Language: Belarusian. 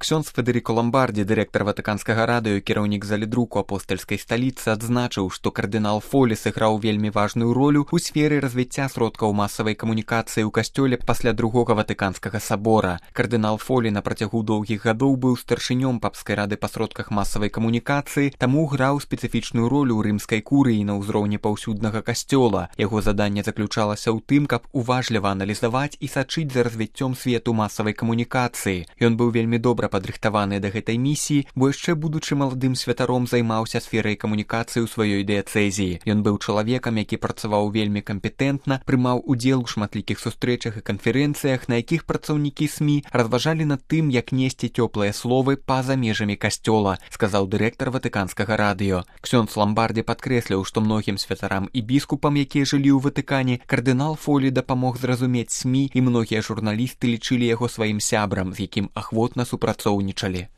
Ксёндз Федэріка Ламбардзі, дырэктар Ватыканскага радыё, кіраўнік залідруку апостальскай сталіцы, адзначыў, што кардынал Фолі сыграў вельмі важную ролю ў сферы развіцця сродкаў масавай камунікацыі ў касцёле пасля другога Ватыканскага сабора. Кардынал Фолі на працягу доўгіх гадоў быў старшынём папскай рады па сродках масавай камунікацыі, таму граў спецыфічную ролю ў рымскай курыі на ўзроўні паўсюднага касцёла. Яго заданне заключалася ў тым, каб уважліва аналізаваць і сачыць за развіццём свету масавай камунікацыі. Ён быў вельмі добра падрыхтаваны да гэтай місіі, бо яшчэ будучы маладым святаром займаўся сферай камунікацыі ў сваёй дыяцэзіі. Ён быў чалавекам, які працаваў вельмі кампетэнтна, прымаў удзел у шматлікіх сустрэчах і канферэнцыях, на якіх працаўнікі СМІ разважалі над тым, як несці цёплыя словы па-за межамі касцёла, сказаў дырэктар Ватыканскага радыё. Ксёндз Ламбардзі падкрэсліў, што многім святарам і біскупам, якія жылі ў Ватыкане, кардынал Фолі дапамог зразумець СМІ, і многія журналісты лічылі яго сваім сябрам, з якім ахвотна супрацоўнічалі.